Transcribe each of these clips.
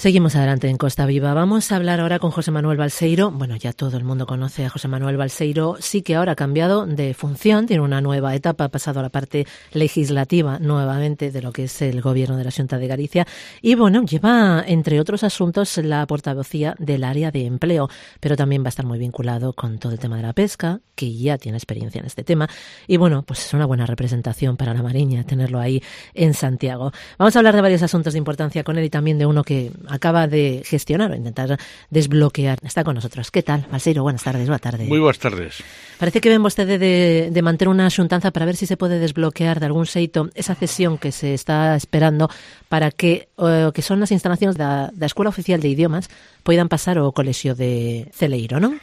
Seguimos adelante en Costa Viva. Vamos a hablar ahora con José Manuel Balseiro. Bueno, ya todo el mundo conoce a José Manuel Balseiro. Sí que ahora ha cambiado de función, tiene una nueva etapa, ha pasado a la parte legislativa nuevamente de lo que es el gobierno de la Xunta de Galicia. Y bueno, lleva, entre otros asuntos, la portavocía del área de empleo, pero también va a estar muy vinculado con todo el tema de la pesca, que ya tiene experiencia en este tema. Y bueno, pues es una buena representación para la Mariña tenerlo ahí en Santiago. Vamos a hablar de varios asuntos de importancia con él y también de uno que acaba de gestionar o intentar desbloquear. Está con nosotros. ¿Qué tal, Balseiro? Buenas tardes, boa tarde. Moi boas tardes. Parece que ven vostede de manter unha xuntanza para ver si se pode desbloquear de algún xeito esa cesión que se está esperando para que o que son as instalacións da Escola Oficial de Idiomas poidan pasar ao Colexio de Celeiro, non?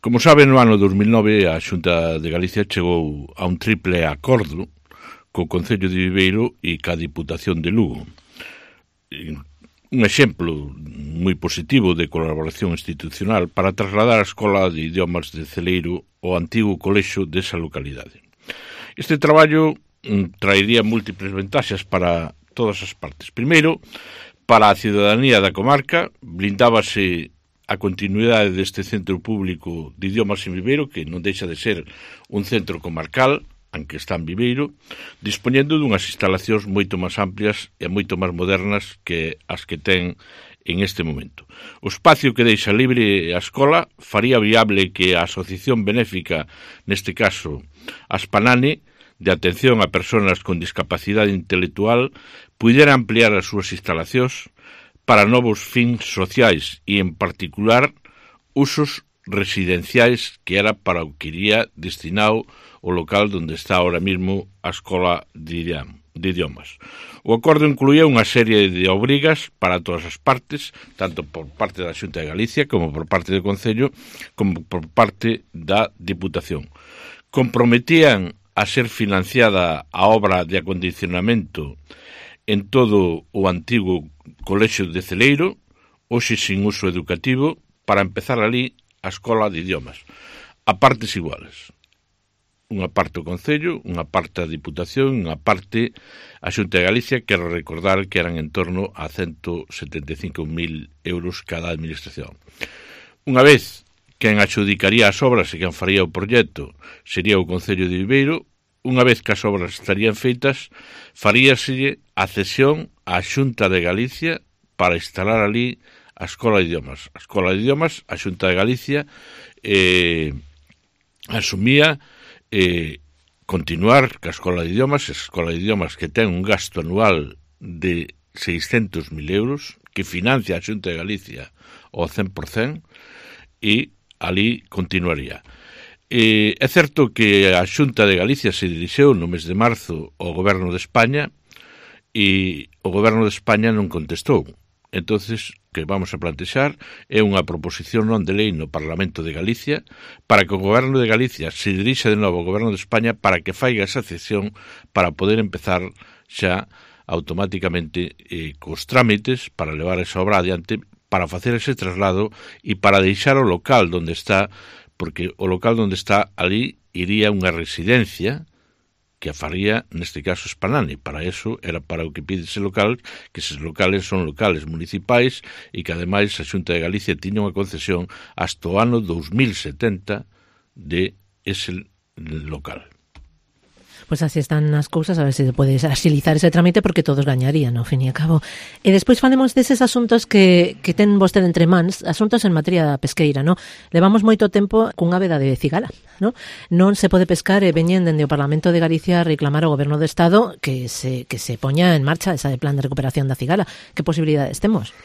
Como sabe, no ano 2009 a Xunta de Galicia chegou a un triple acordo co Concello de Viveiro e ca Diputación de Lugo. Un exemplo moi positivo de colaboración institucional para trasladar a Escola de Idiomas de Celeiro ao antigo colexio desa localidade. Este traballo traería múltiples ventaxas para todas as partes. Primeiro, para a cidadanía da comarca, blindábase a continuidade deste centro público de idiomas en Viveiro, que non deixa de ser un centro comarcal, aunque está en Viveiro, dispoñendo dunhas instalacións moito máis amplias e moito máis modernas que as que ten en este momento. O espacio que deixa libre a escola faría viable que a asociación benéfica, neste caso Aspanane, de atención a persoas con discapacidade intelectual, pudera ampliar as súas instalacións para novos fins sociais e, en particular, usos residenciais, que era para o que iría destinado o local onde está ahora mismo a Escola de Idiomas. O acordo incluía unha serie de obrigas para todas as partes, tanto por parte da Xunta de Galicia como por parte do Concello, como por parte da Diputación. Comprometían a ser financiada a obra de acondicionamento en todo o antigo Colexio de Celeiro, hoxe sin uso educativo, para empezar ali a Escola de Idiomas, a partes iguales. Unha parte o Concello, unha parte a Diputación, unha parte a Xunta de Galicia. Quero recordar que eran en torno a 175.000 euros cada administración. Unha vez quen adxudicaría as obras e quen faría o proxecto sería o Concello de Viveiro, unha vez que as obras estarían feitas, faríaselle a cesión á Xunta de Galicia para instalar ali a Escola de Idiomas. A Escola de Idiomas, a Xunta de Galicia asumía continuar ca Escola de Idiomas que ten un gasto anual de 600.000 euros, que financia a Xunta de Galicia ao 100%, e ali continuaría. É certo que a Xunta de Galicia se dirixeu no mes de marzo ao Goberno de España e o Goberno de España non contestou. Entonces, que vamos a plantexar é unha proposición non de lei no Parlamento de Galicia para que o Goberno de Galicia se dirixa de novo ao Goberno de España para que faiga esa cesión para poder empezar xa automáticamente cos trámites para levar esa obra adiante, para facer ese traslado e para deixar o local onde está, porque o local onde está ali iría unha residencia que a faría, neste caso, Aspanane. Para eso era para o que pide ese local, que eses locales son locales municipais e que, ademais, a Xunta de Galicia tiña unha concesión hasta o ano 2070 de ese local. Pois así están as cousas, a ver se se pode axilizar ese trámite porque todos gañarían, ao fin e a cabo. E despois falemos deses asuntos que ten vostede entre mans, asuntos en materia pesqueira, non? Levamos moito tempo cunha veda de cigala, non? Non se pode pescar e veñen dende o Parlamento de Galicia a reclamar ao Goberno do Estado que se poña en marcha ese plan de recuperación da cigala. Que posibilidades temos?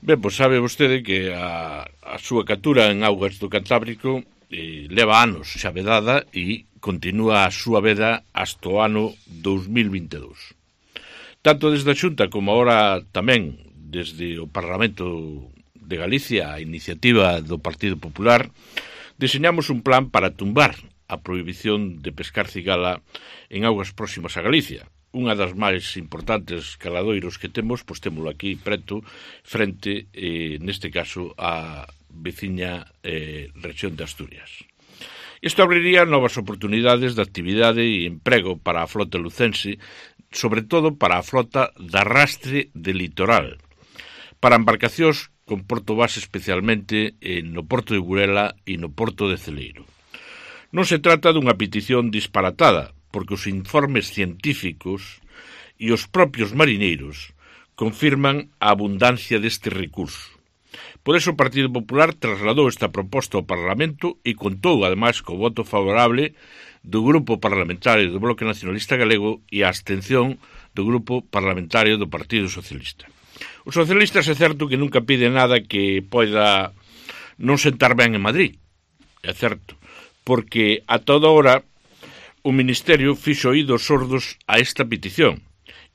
Ben, pois sabe vostede que a súa captura en augas do Cantábrico leva anos xa vedada e continúa a súa veda hasta o ano 2022. Tanto desde a Xunta como agora tamén desde o Parlamento de Galicia, a iniciativa do Partido Popular, deseñamos un plan para tumbar a prohibición de pescar cigala en augas próximas a Galicia. Unha das máis importantes caladoiros que temos, pois témolo aquí preto, frente, neste caso, a veciña rexión de Asturias. Isto abriría novas oportunidades de actividade e emprego para a flota lucense, sobre todo para a flota de arrastre de litoral, para embarcacións con porto base especialmente no porto de Burela e no porto de Celeiro. Non se trata dunha petición disparatada, porque os informes científicos e os propios marineiros confirman a abundancia deste recurso. Por eso o Partido Popular trasladou esta proposta ao Parlamento e contou, ademais, co voto favorable do Grupo Parlamentario do Bloque Nacionalista Galego e a abstención do Grupo Parlamentario do Partido Socialista. Os socialistas é certo que nunca piden nada que poida non sentar ben en Madrid, é certo, porque a toda hora o Ministerio fixo oídos sordos a esta petición,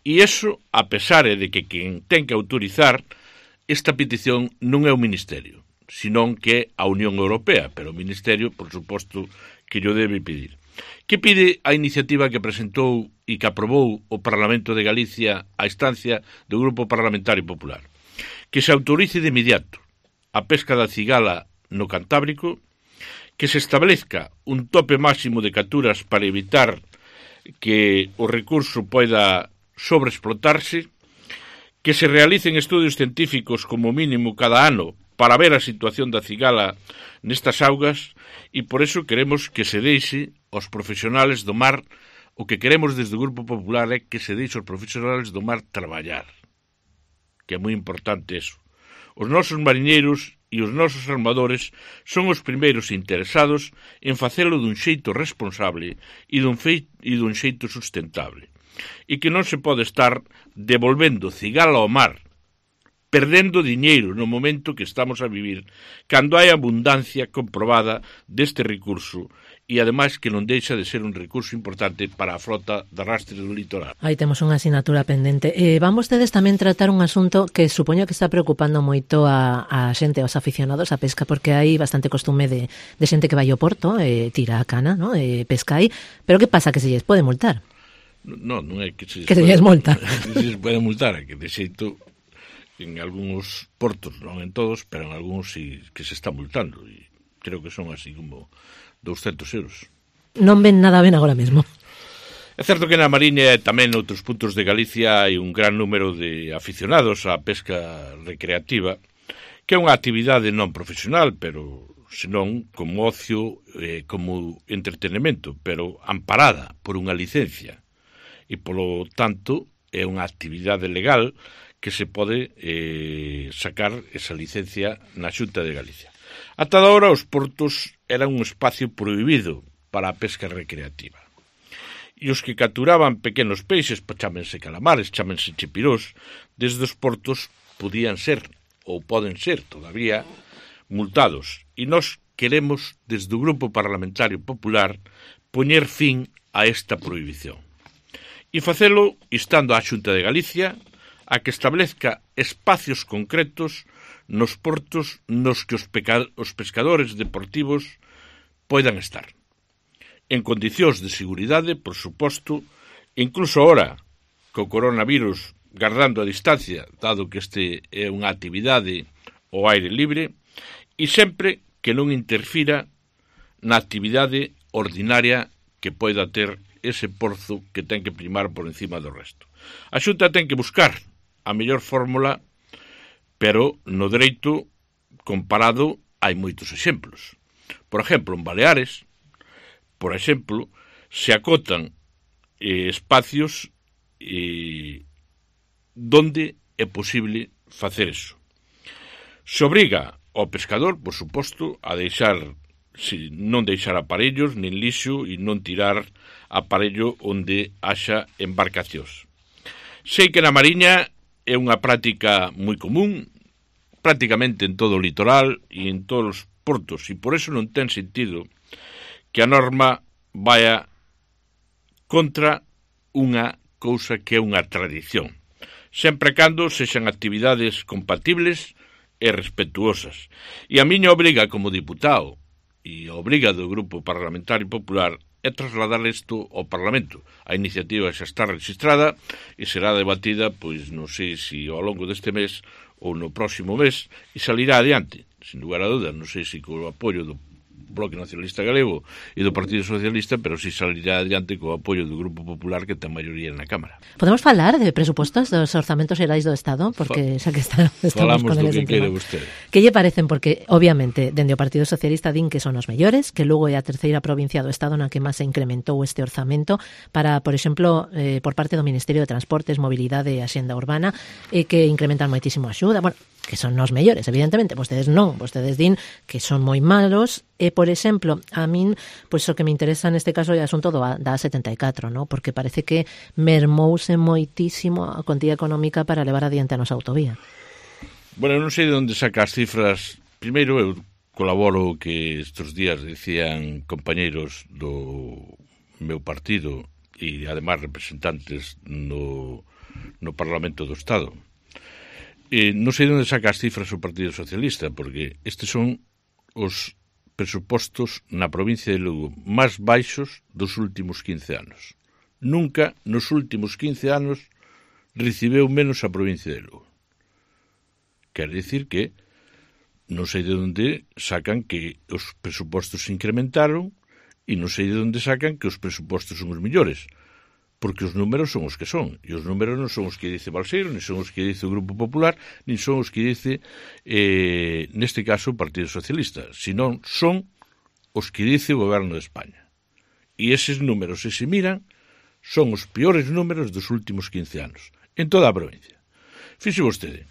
e iso a pesar de que quen ten que autorizar esta petición non é o Ministerio, senón que é a Unión Europea, pero o Ministerio, por suposto, que llo debe pedir. Que pide a iniciativa que presentou e que aprobou o Parlamento de Galicia a instancia do Grupo Parlamentario Popular? Que se autorice de inmediato a pesca da cigala no Cantábrico, que se establezca un tope máximo de capturas para evitar que o recurso poida sobreexplotarse, que se realicen estudios científicos como mínimo cada ano para ver a situación da cigala nestas augas, e por eso queremos que se deixe aos profesionales do mar, o que queremos desde o Grupo Popular é que se deixe aos profesionales do mar traballar, que é moi importante eso. Os nosos mariñeiros e os nosos armadores son os primeiros interesados en facelo dun xeito responsable e dun xeito sustentable, e que non se pode estar devolvendo cigala ao mar, perdendo diñeiro no momento que estamos a vivir, cando hai abundancia comprobada deste recurso, e ademais que non deixa de ser un recurso importante para a frota de arrastre do litoral. Aí temos unha asignatura pendente. Van vostedes tamén tratar un asunto que supoño que está preocupando moito a xente, aos aficionados á pesca, porque hai bastante costume de xente que vai ao porto, tira a cana, ¿no? Pesca aí, pero que pasa? Que se lles pode multar? Non é que se lles multa. Que se lles pode multar, que de xeito en algúns portos, non en todos, pero en algúns sí que se está multando, e creo que son así como 200 euros. Non ven nada ben agora mesmo. É certo que na Mariña e tamén noutros puntos de Galicia hai un gran número de aficionados á pesca recreativa, que é unha actividade non profesional, pero senón como ocio, como entretenimento, pero amparada por unha licencia, e polo tanto é unha actividade legal que se pode sacar esa licencia na Xunta de Galicia. Ata agora os portos eran un espacio prohibido para a pesca recreativa. E os que capturaban pequenos peixes, chámense calamares, chámense chipirós, desde os portos podían ser, ou poden ser todavía, multados. E nós queremos, desde o Grupo Parlamentario Popular, poñer fin a esta prohibición. E facelo instando á Xunta de Galicia a que establezca espacios concretos nos portos nos que os pescadores deportivos poidan estar. En condicións de seguridade, por suposto, incluso ahora, co coronavirus gardando a distancia, dado que este é unha actividade ao aire libre, e sempre que non interfira na actividade ordinaria que poida ter ese porzo que ten que primar por encima do resto. A Xunta ten que buscar a mellor fórmula, pero no dereito comparado hai moitos exemplos. Por exemplo, en Baleares, por exemplo, se acotan espacios donde é posible facer eso. Se obriga ao pescador, por suposto, a non deixar aparellos, nin lixo, e non tirar aparello onde haxa embarcacións. Sei que na Mariña é unha práctica moi común, prácticamente en todo o litoral e en todos os portos, e por eso non ten sentido que a norma vaya contra unha cousa que é unha tradición, sempre cando sexan actividades compatibles e respetuosas. E a miña obriga como diputado e a obriga do Grupo Parlamentario Popular é trasladar isto ao Parlamento. A iniciativa xa está registrada e será debatida, pois non sei se ao longo deste mes ou no próximo mes, e salirá adiante. Sin lugar a dúdas, non sei se co apoio do Bloque Nacionalista Galego e do Partido Socialista, pero si salirá adiante co apoio do Grupo Popular, que ten maioría na Cámara. Podemos falar de presupostos dos orzamentos xerais do Estado, porque xa que estamos falamos con do eles que quere vostede. Que lle parecen? Porque, obviamente, dende o Partido Socialista din que son os mellores, que Lugo é a terceira provincia do Estado na que máis se incrementou este orzamento para, por exemplo, por parte do Ministerio de Transportes, Mobilidade e Axenda Urbana, que incrementan moitísimo a axuda. Bueno, que son os mellores, evidentemente, vostedes non, vostedes din que son moi malos, e, por exemplo, a min, pois o que me interesa neste caso é o asunto da A74, ¿no? Porque parece que mermouse moitísimo a contía económica para levar adiante a nosa autovía. Bueno, non sei de onde saca as cifras. Primeiro, eu colaboro que estes días decían compañeiros do meu partido e, además, representantes no Parlamento do Estado. Non sei onde saca as cifras o Partido Socialista, porque estes son os presupostos na provincia de Lugo máis baixos dos últimos 15 anos. Nunca nos últimos 15 anos recibeu menos a provincia de Lugo. Quer dicir que non sei de onde sacan que os presupostos se incrementaron e non sei de onde sacan que os presupostos son os millores. Porque os números son os que son, e os números non son os que dice Balseiro, nin son os que dice o Grupo Popular, nin son os que dice, neste caso, o Partido Socialista, senón son os que dice o Goberno de España. E eses números, se miran, son os peores números dos últimos 15 anos, en toda a provincia. Fixe vostede,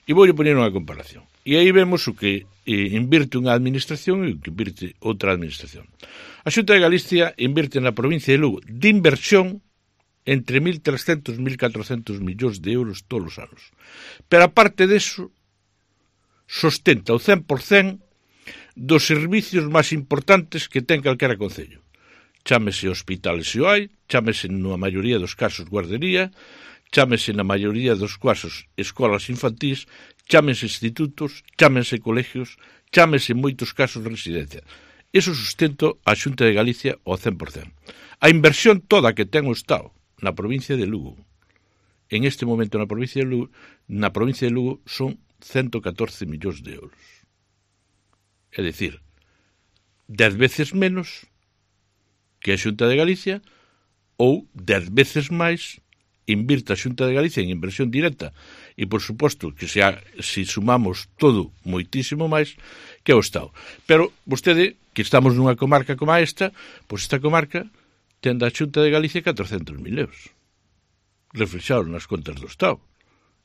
e voulle poñer unha comparación. E aí vemos o que invirte unha administración e o que invirte outra administración. A Xunta de Galicia invirte na provincia de Lugo de inversión entre 1.300 e 1.400 millóns de euros todos os anos. Pero aparte deso, sostenta o 100% dos servicios máis importantes que ten calquera concello. Chámese hospitales se o hai, chámese na maioría dos casos guardería, chámese na maioría dos casos escolas infantís, chámese institutos, chámese colegios, chámese en moitos casos residencia. Eso sustento a Xunta de Galicia ao 100%. A inversión toda que ten o Estado na provincia de Lugo, en este momento na provincia de Lugo son 114 millóns de euros. É dicir, 10 veces menos que a Xunta de Galicia ou 10 veces máis invirta a Xunta de Galicia en inversión directa e, por suposto, que se sumamos todo moitísimo máis que o Estado. Pero vostede, que estamos nunha comarca como esta, pois esta comarca ten da Xunta de Galicia 400.000 euros, reflexados nas contas do Estado.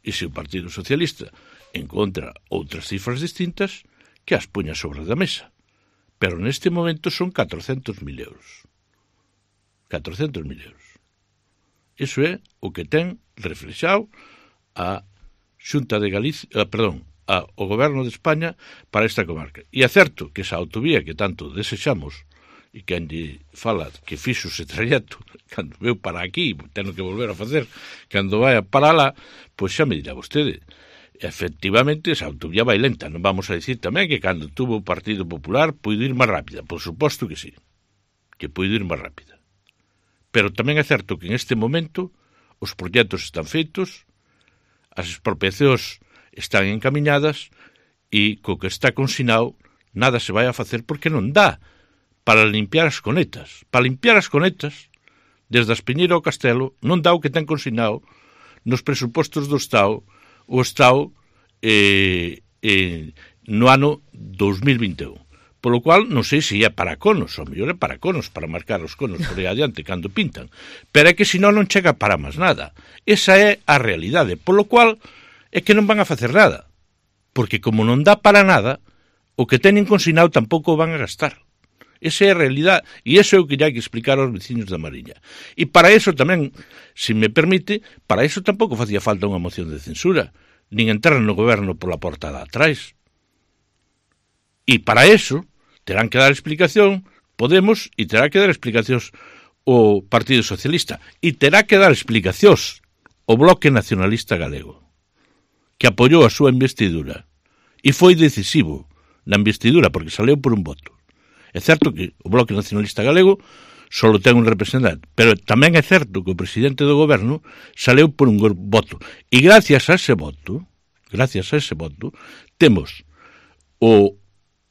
E se o Partido Socialista encontra outras cifras distintas, que as poña sobre da mesa. Pero neste momento son 400.000 euros. 400.000 euros. Iso é o que ten reflexado a Xunta de Galicia, o Goberno de España para esta comarca. E é certo que esa autovía que tanto desexamos e que lle fala que fixo ese trayecto cando veu para aquí, teno que volver a facer cando vai para lá, pois xa me dirá vostede, efectivamente esa autovía vai lenta. Non vamos a dicir tamén que cando tuvo o Partido Popular puido ir máis rápida, por suposto que sí, que puido ir máis rápida. Pero tamén é certo que en este momento os proxectos están feitos, as expropiacións están encamiñadas e co que está consignado nada se vai a facer porque non dá para limpiar as conetas. Para limpiar as conetas, desde a Espiñeira ao Castelo, non dá o que ten consignado nos presupostos do Estado, o Estado no ano 2021. Polo cual, non sei se é para conos, ou mellor é para conos, para marcar os conos por aí adiante cando pintan. Pero é que senón non chega para máis nada. Esa é a realidade. Polo cual, é que non van a facer nada. Porque como non dá para nada, o que teñen consignado tampouco o van a gastar. Esa é a realidade, e iso é o que hai que explicar aos veciños da Mariña. E para iso tamén, se me permite, para iso tampouco facía falta unha moción de censura, nin entrar no goberno pola porta de atrás. E para iso terán que dar explicación Podemos e terá que dar explicacións o Partido Socialista e terá que dar explicacións o Bloque Nacionalista Galego, que apoiou a súa investidura e foi decisivo na investidura porque saleu por un voto. É certo que o Bloque Nacionalista Galego só ten un representante, pero tamén é certo que o presidente do goberno saleu por un voto. E gracias a ese voto, temos o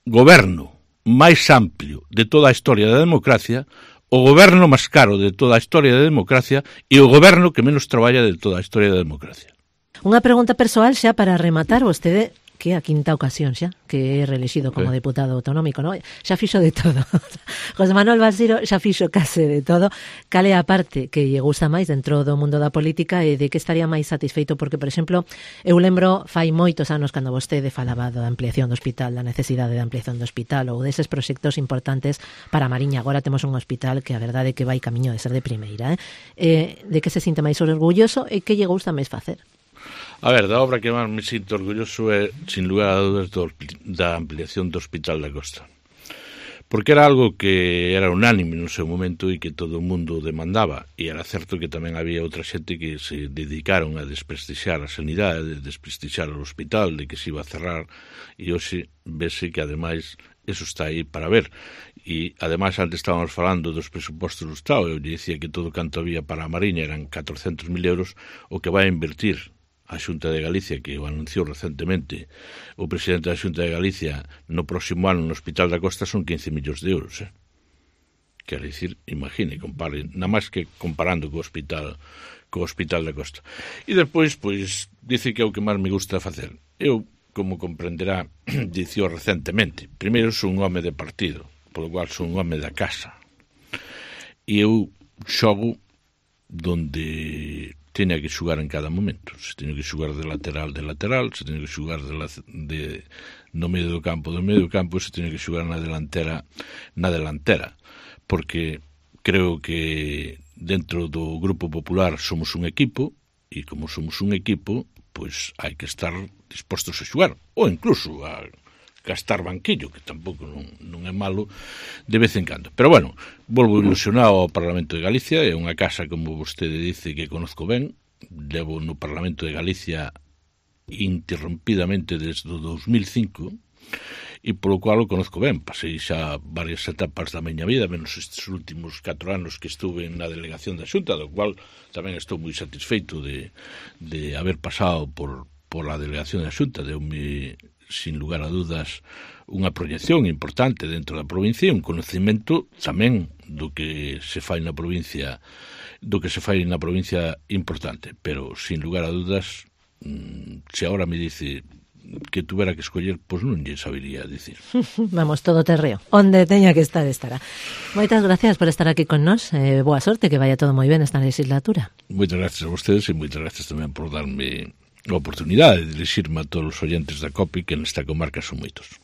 goberno máis amplio de toda a historia da democracia, o goberno máis caro de toda a historia da democracia e o goberno que menos traballa de toda a historia da democracia. Unha pregunta persoal xa para rematar, vostede que é a quinta ocasión xa que é reelexido como deputado autonómico, non? Xa fixo de todo. José Manuel Balseiro xa fixo case de todo. Cal é a parte que lle gusta máis dentro do mundo da política e de que estaría máis satisfeito? Porque, por exemplo, eu lembro fai moitos anos cando vostede falaba da ampliación do hospital, da necesidade de ampliación do hospital ou deses proxectos importantes para a Mariña. Agora temos un hospital que a verdade é que vai camiño de ser de primeira. De que se sinte máis orgulloso e que lle gusta máis facer? A ver, da obra que máis me sinto orgulloso é, sin lugar a dúdas, da ampliación do Hospital da Costa. Porque era algo que era unánime no seu momento e que todo o mundo demandaba. E era certo que tamén había outra xente que se dedicaron a desprestixiar a sanidade, a desprestixiar o hospital, de que se iba a cerrar, e hoxe vese que, ademais, eso está aí para ver. E, ademais, antes estábamos falando dos presupostos do Estado. Eu dicía que todo canto había para a Mariña eran 400.000 euros o que vai a invertir a Xunta de Galicia, que o anunciou recentemente o presidente da Xunta de Galicia, no próximo ano no Hospital da Costa son 15 millóns de euros. Quer dicir, imagine, compare, nada máis que comparando co Hospital da Costa. E despois, pois, dice que é o que máis me gusta facer. Eu, como comprenderá, dicío recentemente, primeiro son un home de partido, polo cual son un home da casa. E eu xogo donde teña que xugar en cada momento. Se teño que xugar de lateral, se teño que xugar no medio do campo, se teño que xugar na delantera. Porque creo que dentro do Grupo Popular somos un equipo, e como somos un equipo, pois hai que estar dispostos a xugar, ou incluso a gastar banquillo, que tampouco non é malo de vez en cando. Pero bueno, volvo ilusionado ao Parlamento de Galicia, é unha casa, como vostede dice, que conozco ben, levo no Parlamento de Galicia interrompidamente desde o 2005, e polo cual o conozco ben. Pasei xa varias etapas da miña vida, menos estes últimos 4 anos que estuve na delegación da Xunta, do cual tamén estou moi satisfeito de haber pasado por a delegación da Xunta. Deu-me, sin lugar a dudas, unha proyección importante dentro da provincia e un conocimento tamén do que se fai na provincia importante, pero sin lugar a dudas, se agora me dice que tuvera que escoller, pois non lle sabería dicir. Vamos, todo terreo, onde teña que estar, estará. Moitas gracias por estar aquí con nós, boa sorte, que vaya todo moi ben esta legislatura. Moitas gracias a vostedes e moitas gracias tamén por darme a oportunidade de dirixirme a todos os oyentes da COPI, que nesta comarca son moitos.